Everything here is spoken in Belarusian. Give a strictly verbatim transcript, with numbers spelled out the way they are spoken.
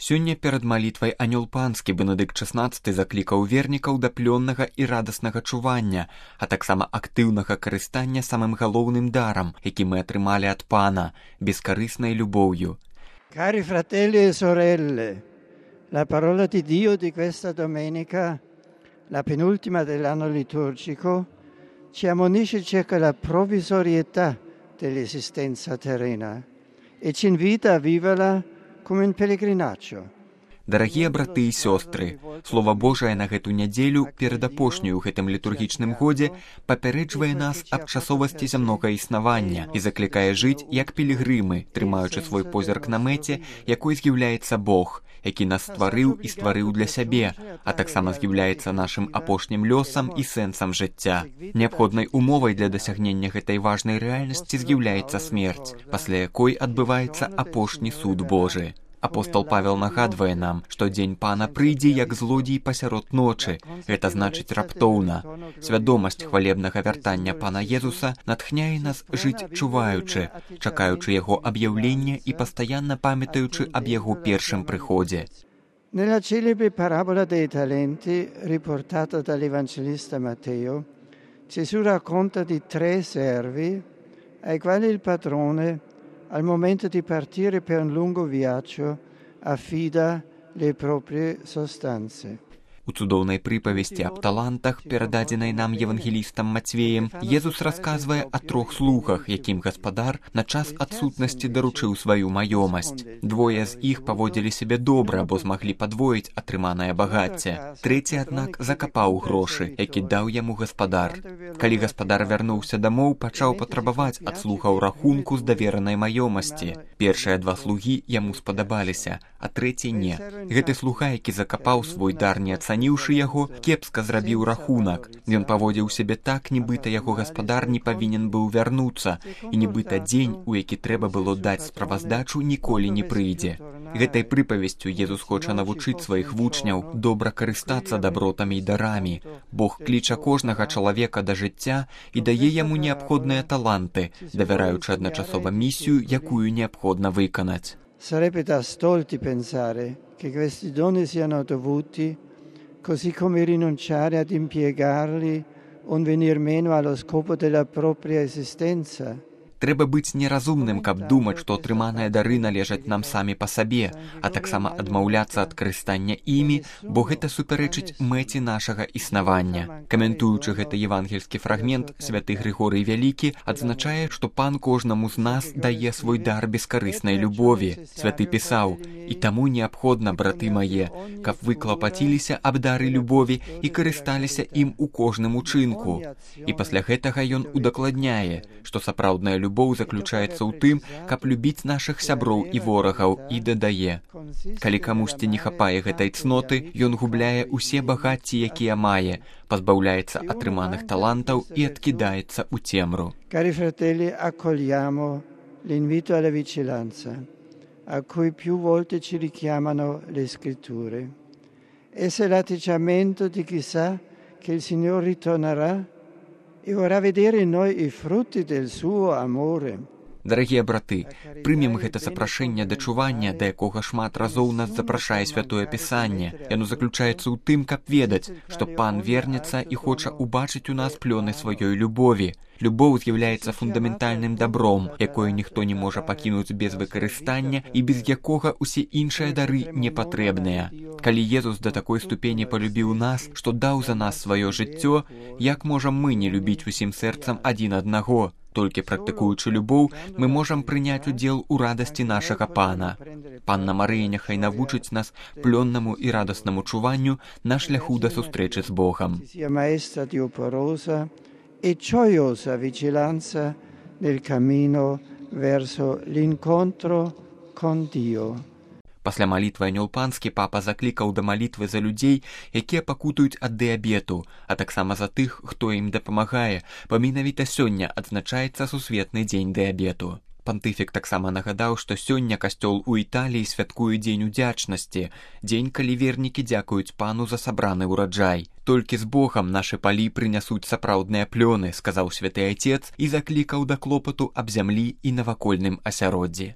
Сёння перад малітвай анёл панскі Бенедыкт шаснаццаты заклікаў вернікаў да плённага і радаснага чування, а таксама актыўнага карыстання самым галоўным дарам, які мы атрымалі ад Пана, бескарыснай любоўю. Cari fratelli e sorelle, la parola di Dio di questa domenica, la penultima dell'anno liturgico, ci ammonisce circa la provvisorietà dell'esistenza terrena e ci invita a viverla come un pellegrinaggio. Дарагія браты і сёстры, Слова Божае на гэту нядзелю перад апошнюю ў гэтым літургічным годзе папярэджвае нас аб часовасці зямнога існавання і заклікае жыць як пілігрымы, трымаючы свой позірк на мэце, якой з'яўляецца Бог, які нас стварыў і стварыў для сябе, а таксама з'яўляецца нашым апошнім лёсам і сэнсам жыцця. Неабходнай умовай для дасягнення гэтай важнай рэальнасці з'яўляецца смерць, пасля якой адбываецца апошні суд Божы. Апостол Павел нагадвае нам, што дзень Пана прыйдзе як злодзей пасярод ночы. Гэта значыць раптоўна. Свядомасць хвалебнага вяртання Пана Езуса натхняе нас жыць чуваючы, чакаючы яго аб'яўлення і пастаянна памятаючы аб яго першым прыходзе. Nella celebre parabola dei talenti, riportata dall'Evangelista Matteo, Gesù racconta di tre servi ai quali il padrone, al momento di partire per un lungo viaggio, affida le proprie sostanze. У цудоўнай прыпавесці аб талантах, перададзенай нам евангелістам Мацвеем, Езус расказвае о трох слугах, якім гаспадар на час адсутнасці даручыў сваю маёмасць. Двое з іх паводзілі сябе добра, бо змаглі падвоіць атрыманае багацце. Трэці, аднак, закапаў грошы, які даў яму гаспадар. Калі гаспадар вярнуўся дамоў, пачаў патрабаваць ад слугаў рахунку з даверанай маёмасці. Першыя два слугі яму спадабаліся, а трэці не. Гэты слуга, які закапаў свой дар, не ацаніўшы яго, кепска зрабіў рахунак. Ён паводзіў сябе так, нібыта яго гаспадар не павінен быў вярнуцца, і нібыта дзень, у які трэба было даць справаздачу, ніколі не прыйдзе. Гэтай прыпавесцю Езус хоча навучыць сваіх вучняў добра карыстацца дабротамі і дарамі. Бог кліча кожнага чалавека да жыцця і дае яму неабходныя таланты, давяраючы адначасова місію, якую неабходна выканаць. Sarebbe da stolti pensare che questi doni siano dovuti, così come rinunciare ad impiegarli o venir meno allo scopo della propria esistenza. Трэба быць неразумным, каб думаць, што атрыманыя дары належаць нам самі па сабе, а таксама адмаўляцца ад карыстання імі, бо гэта супярэчыць мэце нашага існавання. Каментуючы гэты евангельскі фрагмент, святы Грыгорый Вялікі адзначае, што Пан кожнаму з нас дае свой дар бескарыснай любові. Святы пісаў: «І таму неабходна, браты мае, каб вы клапаціліся аб дары любові і карысталіся ім у кожным учынку». І пасля гэтага ён удакладняе, што сапраўдная любоў Любоў заключаецца ў тым, каб любіць нашых сяброў і ворагаў, і дадае: «Калі камусьці не хапае гэтай цноты, ён губляе ўсе багацці, якія мае, пазбаўляецца атрыманых талантаў і адкідаецца ў цемру». Cari fratelli, accogliamo l'invito alla vigilanza, a cui più volte ci richiamano le scritture. Esse è l'atteggiamento di chi sa che il Signore ritornerà e vorrà vedere in noi i frutti del suo amore. Дарагія браты, прымем гэта запрашэнне да чування, да якога шмат разоў нас запрашае Святое Пісанне. Яно заключаецца ў тым, каб ведаць, што Пан вернецца і хоча убачыць у нас плёны сваёй любові. Любоў з'яўляецца фундаментальным дабром, якое ніхто не можа пакінуць без выкарыстання і без якога ўсе іншыя дары не патрэбныя. Калі Езус да такой ступені палюбіў нас, што даў за нас сваё жыццё, як можам мы не любіць усім сэрцам адзін аднаго? Толькі практыкуючы любоў, мы можам прыняць удзел у радасці нашага Пана. Панна Марыя няхай навучыць нас плённаму і радаснаму чуванню на шляху да сустрэчы з Богам. E gioiosa vigilanza nel cammino verso l'incontro con Dio. Пасля малітвы анёл панскі папа заклікаў да малітвы за людзей, якія пакутаюць ад дыябету, а таксама за тых, хто ім дапамагае, бо менавіта сёння адзначаецца сусветны дзень дыябету. Пантыфік таксама нагадаў, што сёння касцёл у Італіі святкуе дзень удзячнасці, дзень, калі вернікі дзякуюць Пану за сабраны ўраджай. Толькі з Богам нашы палі прынясуць сапраўдныя плёны, сказаў святы Айцец і заклікаў да клопату аб зямлі і навакольным асяроддзі.